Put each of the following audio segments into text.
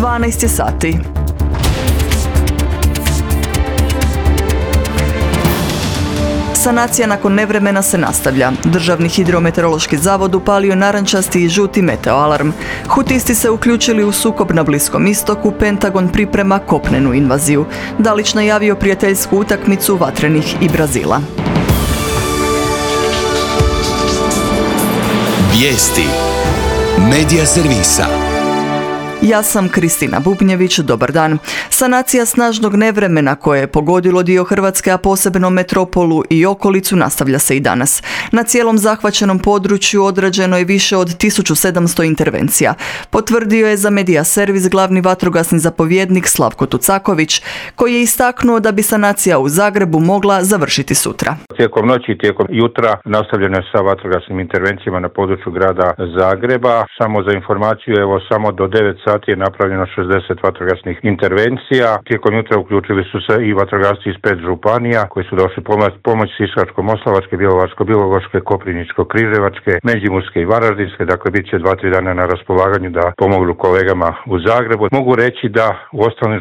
12 je sati. Sanacija nakon nevremena se nastavlja. Državni hidrometeorološki zavod upalio narančasti i žuti meteoalarm. Hutisti se uključili u sukob na Bliskom istoku, Pentagon priprema kopnenu invaziju. Dalić najavio prijateljsku utakmicu Vatrenih i Brazila. Vijesti Medija servisa. Ja sam Kristina Bubnjević, dobar dan. Sanacija snažnog nevremena koje je pogodilo dio Hrvatske, a posebno metropolu i okolicu, nastavlja se i danas. Na cijelom zahvaćenom području odrađeno je više od 1700 intervencija. Potvrdio je za Medija servis glavni vatrogasni zapovjednik Slavko Tucaković, koji je istaknuo da bi sanacija u Zagrebu mogla završiti sutra. Tijekom noći i tijekom jutra nastavljeno je sa vatrogasnim intervencijama na području grada Zagreba. Samo za informaciju, samo do 9 sati je napravljeno 60 vatrogasnih intervencija. Tijekom jutra uključili su se i vatrogasci iz 5 županija koji su došli pomoć Sisačko-moslavačke, Bjelovarsko-bilogorske, Koprivničko-križevačke, Međimurske i Varaždinske. Dakle, bit će 2-3 dana na raspolaganju da pomognu kolegama u Zagrebu. Mogu reći da u ostalim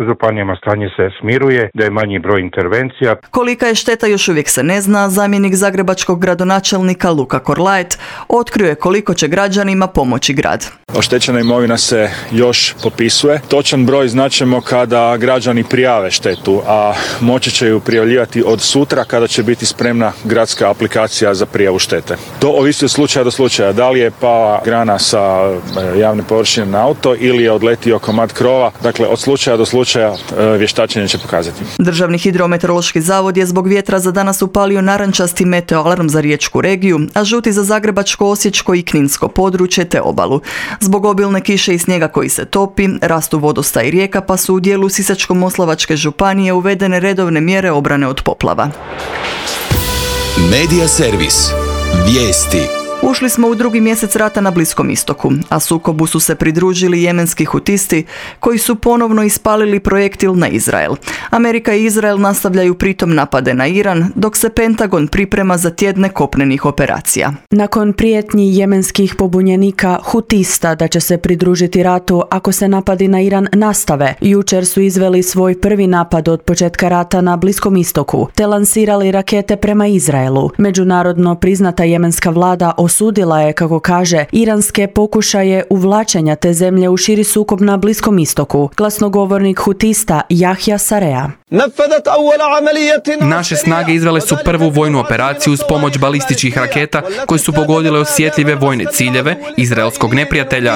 županijama stanje se smiruje, da je manji broj intervencija. Kolika je šteta još uvijek se ne zna. Zamjenik zagrebačkog gradonačelnika Luka Korlaet otkrio je koliko će građanima pomoći grad. Oštećena imovina se još popisuje. Točan broj znaćemo kada građani prijave štetu, a moći će ju prijavljivati od sutra kada će biti spremna gradska aplikacija za prijavu štete. To ovisi od slučaja do slučaja. Da li je pala grana sa javne površine na auto ili je odletio komad krova. Dakle, od slučaja do slučaja vještačenje će pokazati. Državni hidrometeorološki zavod je zbog vjetra za danas upalio narančasti meteoalarm za riječku regiju, a žuti za zagrebačko, osječko i kninsko područje te obalu. Zbog obilne kiše i snijega koji se topi, rastu vodostaj rijeka, pa su u dijelu Sisačko-moslavačke županije uvedene redovne mjere obrane od poplava. Medija servis. Vijesti. Ušli smo u drugi mjesec rata na Bliskom istoku, a sukobu su se pridružili jemenski hutisti koji su ponovno ispalili projektil na Izrael. Amerika i Izrael nastavljaju pritom napade na Iran, dok se Pentagon priprema za tjedne kopnenih operacija. Nakon prijetnji jemenskih pobunjenika hutista da će se pridružiti ratu ako se napadi na Iran nastave, jučer su izveli svoj prvi napad od početka rata na Bliskom istoku, te lansirali rakete prema Izraelu. Međunarodno priznata jemenska vlada osudila je, kako kaže, iranske pokušaje uvlačenja te zemlje u širi sukob na Bliskom istoku. Glasnogovornik hutista Jahja Sarea. Naše snage izvele su prvu vojnu operaciju uz pomoć balističkih raketa koje su pogodile osjetljive vojne ciljeve izraelskog neprijatelja.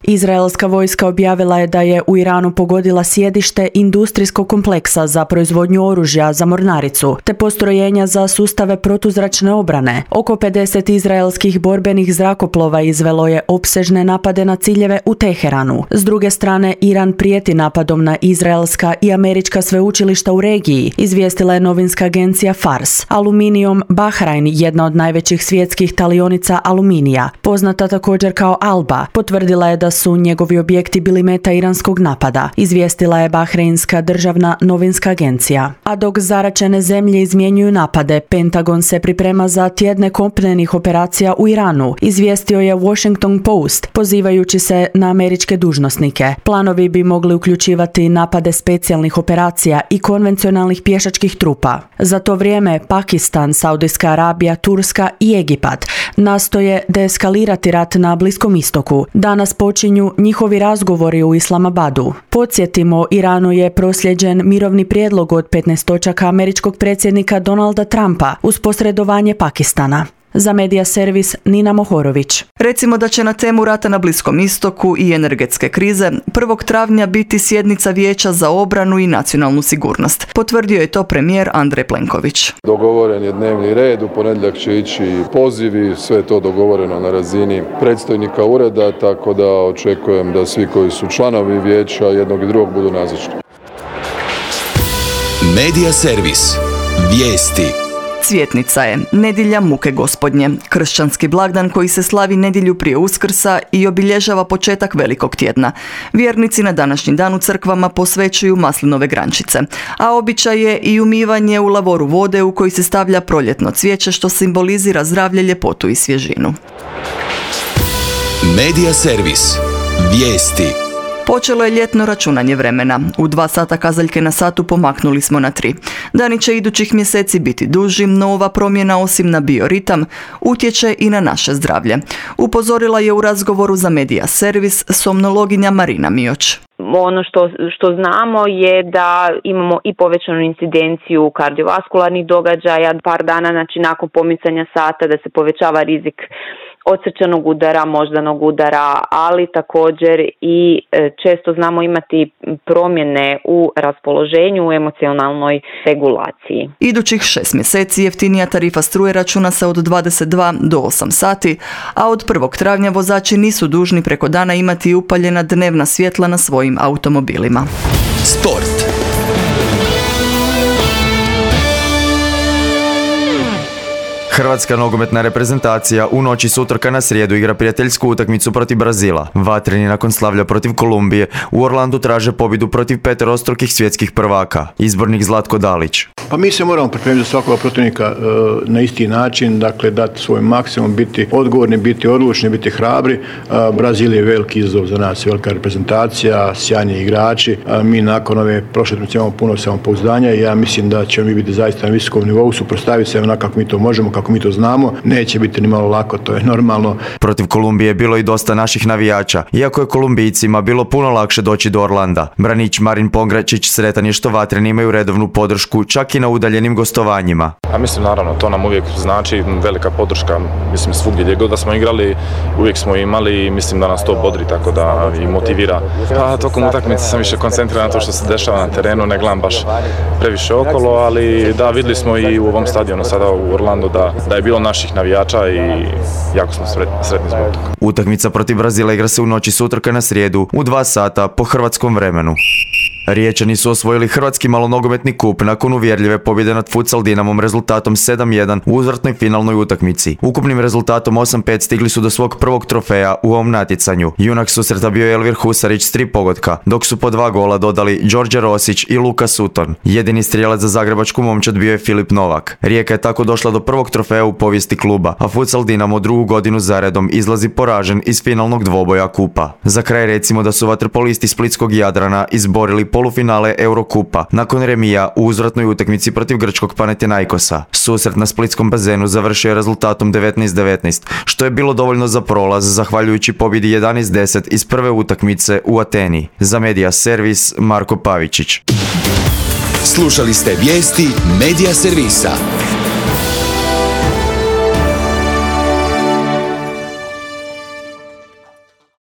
Izraelska vojska objavila je da je u Iranu pogodila sjedište industrijskog kompleksa za proizvodnju oružja za mornaricu, te postrojenja za sustave protuzračne obrane. Oko 50 izraelskih borbenih zrakoplova izvelo je opsežne napade na ciljeve u Teheranu. S druge strane, Iran prijeti napadom na izraelska i američka sveučilišta u regiji, izvijestila je novinska agencija Fars. Aluminijom Bahrain, jedna od najvećih svjetskih talionica aluminija, poznata također kao Alba, potvrdila je da su njegovi objekti bili meta iranskog napada, izvijestila je Bahreinska državna novinska agencija. A dok zaračene zemlje izmjenjuju napade, Pentagon se priprema za tjedne kopnenih operacija u Iranu, izvijestio je Washington Post, pozivajući se na američke dužnosnike. Planovi bi mogli uključivati napade specijalnih operacija i konvencionalnih pješačkih trupa. Za to vrijeme Pakistan, Saudijska Arabija, Turska i Egipat nastoje deeskalirati rat na Bliskom istoku. Danas počinju njihovi razgovori u Islamabadu. Podsjetimo, Iranu je proslijeđen mirovni prijedlog od 15 točaka američkog predsjednika Donalda Trumpa uz posredovanje Pakistana. Za Medija servis Nina Mohorović. Recimo da će na temu rata na Bliskom istoku i energetske krize 1. travnja biti sjednica Vijeća za obranu i nacionalnu sigurnost. Potvrdio je to premijer Andrej Plenković. Dogovoren je dnevni red, u ponedjeljak će ići pozivi, sve je to dogovoreno na razini predstojnika ureda, tako da očekujem da svi koji su članovi vijeća jednog i drugog budu nazočni. Medija servis. Vijesti. Cvjetnica je nedjelja muke gospodnje, kršćanski blagdan koji se slavi nedjelju prije Uskrsa i obilježava početak Velikog tjedna. Vjernici na današnji dan u crkvama posvećuju maslinove grančice, a običaj je i umivanje u lavoru vode u koji se stavlja proljetno cvijeće što simbolizira zdravlje, ljepotu i svježinu. Medija servis. Vijesti. Počelo je ljetno računanje vremena. U 2 sata kazaljke na satu pomaknuli smo na 3. Dani će idućih mjeseci biti duži, no ova promjena osim na bioritam utječe i na naše zdravlje. Upozorila je u razgovoru za Media Servis somnologinja Marina Mioć. Ono što znamo je da imamo i povećanu incidenciju kardiovaskularnih događaja, par dana nakon pomicanja sata da se povećava rizik od srčanog udara, moždanog udara, ali također i često znamo imati promjene u raspoloženju, u emocionalnoj regulaciji. Idućih 6 mjeseci jeftinija tarifa struje računa se od 22 do 8 sati, a od 1. travnja vozači nisu dužni preko dana imati upaljena dnevna svjetla na svojim automobilima. Sport. Hrvatska nogometna reprezentacija u noći s utorka na srijedu igra prijateljsku utakmicu protiv Brazila. Vatreni nakon slavlja protiv Kolumbije u Orlandu traže pobjedu protiv peterostrukih svjetskih prvaka. Izbornik Zlatko Dalić. Pa mi se moramo pripremiti za svakoga protivnika na isti način, dakle dati svoj maksimum, biti odgovorni, biti odlučni, biti hrabri. Brazil je veliki izazov za nas, velika reprezentacija, sjajni igrači. Mi nakon ove prošle utakmice imamo puno samopouzdanja i ja mislim da ćemo mi biti zaista na visokom nivou, suprotstaviti se onako kako mi to možemo, kako mi to znamo. Neće biti ni malo lako, to je normalno. Protiv Kolumbije je bilo i dosta naših navijača, iako je Kolumbijcima bilo puno lakše doći do Orlanda. Branić Marin Pongračić sretan je što Vatreni imaju redovnu podršku, čak i na udaljenim gostovanjima. A mislim, naravno, to nam uvijek znači velika podrška, mislim, svugdje gdje god da smo igrali, uvijek smo imali i mislim da nas to bodri, tako da i motivira. Pa tokom utakmice sam više koncentriran na to što se dešava na terenu, ne gledam baš previše okolo, ali da, vidjeli smo i u ovom stadionu sada u Orlandu da je bilo naših navijača i jako smo sretni zbog toga. Utakmica protiv Brazila igra se u noći s utorka na srijedu u 2 sata po hrvatskom vremenu. Riječani su osvojili hrvatski malonogometni kup nakon uvjerljive pobjede nad Futsal Dinamom rezultatom 7-1 u uzvratnoj finalnoj utakmici. Ukupnim rezultatom 8-5 stigli su do svog prvog trofeja u ovom natjecanju. Junak susreta bio je Elvir Husarić s 3 pogotka, dok su po 2 gola dodali Đorđe Rosić i Luka Sutton. Jedini strijelac za zagrebačku momčad bio je Filip Novak. Rijeka je tako došla do prvog trofeja u povijesti kluba, a Futsal Dinamo 2. godinu zaredom izlazi poražen iz finalnog dvoboja kupa. Za kraj recimo da su vaterpolisti splitskog Jadrana izborili polufinale Eurokupa nakon remija u uzvratnoj utakmici protiv grčkog Panathinaikosa. Susret na splitskom bazenu završio je rezultatom 19-19, što je bilo dovoljno za prolaz zahvaljujući pobjedi 11-10 iz prve utakmice u Ateni. Za Media Servis Marko Pavičić. Slušali ste vijesti Media Servisa.